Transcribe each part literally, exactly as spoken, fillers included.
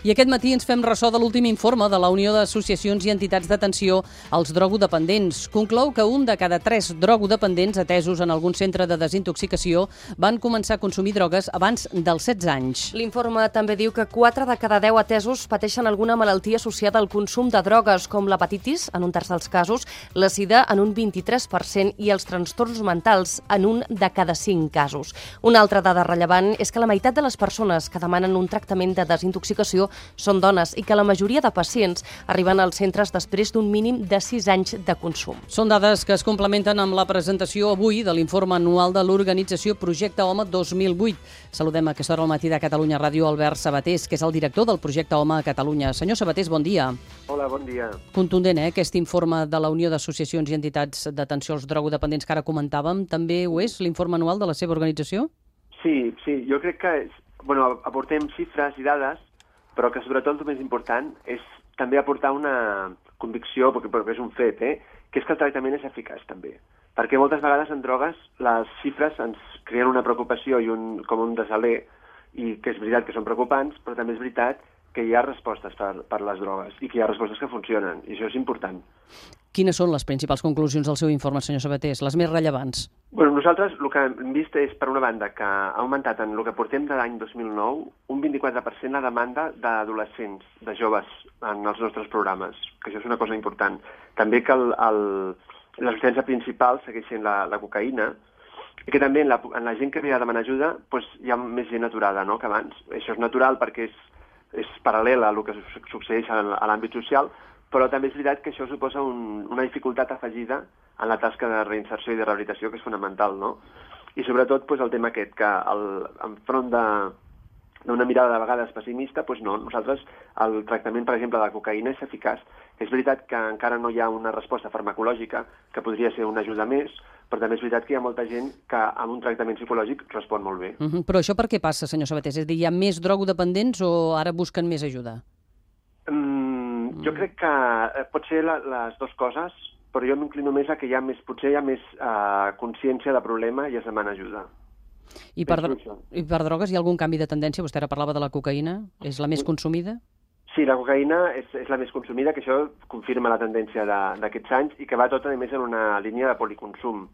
I aquest matí ens fem ressò de l'últim informe de la Unió d'Associacions i Entitats d'Atenció als Drogodependents. Conclou que un de cada tres drogodependents atesos en algun centre de desintoxicació van començar a consumir drogues abans dels setze anys. L'informe també diu que quatre de cada deu atesos pateixen alguna malaltia associada al consum de drogues, com l'hepatitis, en un terç dels casos, la sida en un vint-i-tres per cent i els trastorns mentals en un de cada cinc casos. Una altra dada rellevant és que la meitat de les persones que demanen un tractament de desintoxicació són dones i que la majoria de pacients arriben als centres després d'un mínim de sis anys de consum. Són dades que es complementen amb la presentació avui de l'informe anual de l'organització Projecte Home dos mil vuit. Saludem a aquesta hora al matí de Catalunya Ràdio Albert Sabatés, que és el director del Projecte Home a Catalunya. Senyor Sabatés, bon dia. Hola, bon dia. Contundent, eh, aquest informe de la Unió d'Associacions i Entitats d'Atenció als Drogodependents que ara comentàvem. També ho és l'informe anual de la seva organització? Sí, sí, jo crec que és, bueno, aportem xifres i dades, però que sobretot el més important és també aportar una convicció, perquè, perquè és un fet, eh? que és que el tractament és eficaç també. Perquè moltes vegades en drogues les xifres ens creen una preocupació i un, com un desaler, i que és veritat que són preocupants, però també és veritat que hi ha respostes per, per les drogues i que hi ha respostes que funcionen, i això és important. Quines són les principals conclusions del seu informe, senyor Sabatés, les més rellevants? Bueno, nosaltres el que hem vist és, per una banda, que ha augmentat en el que portem de l'any dos mil nou un vint-i-quatre per cent la demanda d'adolescents, de joves, en els nostres programes, que això és una cosa important. També que el, el, la substància principal segueix sent la, la cocaïna, i que també en la, en la gent que ve a demanar ajuda doncs, hi ha més gent aturada, no?, que abans. Això és natural perquè és, és paral·lel a el que succeeix a l'àmbit social, però també és veritat que això suposa un, una dificultat afegida en la tasca de reinserció i de rehabilitació, que és fonamental, no? I sobretot doncs, el tema aquest, que el, enfront d'una mirada de vegades pessimista, doncs no, nosaltres el tractament, per exemple, de la cocaïna és eficaç. És veritat que encara no hi ha una resposta farmacològica, que podria ser una ajuda més, però també és veritat que hi ha molta gent que amb un tractament psicològic respon molt bé. Uh-huh. Però això per què passa, senyor Sabatés? És a dir, hi ha més drogodependents o ara busquen més ajuda? Mm, jo crec que pot ser la, les dues coses, però jo m'inclino més a que hi ha més, potser hi ha més uh, consciència de problema i es demana ajuda. I per, I per drogues hi ha algun canvi de tendència? Vostè ara parlava de la cocaïna. És la més consumida? Sí, la cocaïna és, és la més consumida, que això confirma la tendència d'aquests anys i que va tot, a més, en una línia de policonsum.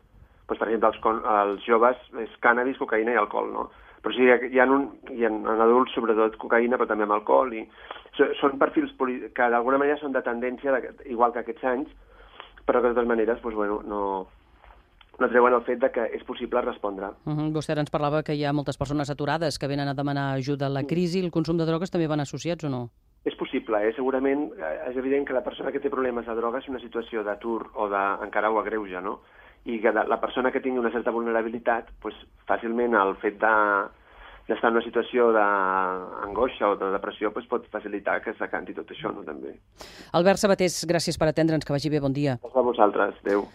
Pues, per exemple, els, els joves és cànnabis, cocaïna i alcohol, no? Però sí, hi ha, un, hi ha en adults, sobretot cocaïna, però també amb alcohol. I són perfils que d'alguna manera són de tendència, igual que aquests anys, però que de totes maneres doncs, bueno, no, no treuen el fet de que és possible respondre. Uh-huh. Vostè ens parlava que hi ha moltes persones aturades que venen a demanar ajuda a la crisi. El consum de drogues també van associats o no? És possible, eh? Segurament és evident que la persona que té problemes de drogues és una situació d'atur o de, encara ho agreuja, no? I que la persona que tingui una certa vulnerabilitat, doncs, fàcilment el fet de, d'estar en una situació d'angoixa o de depressió doncs, pot facilitar que s'acanti tot això, no? També. Albert Sabatés, gràcies per atendre'ns, que vagi bé, bon dia. A vosaltres, adéu.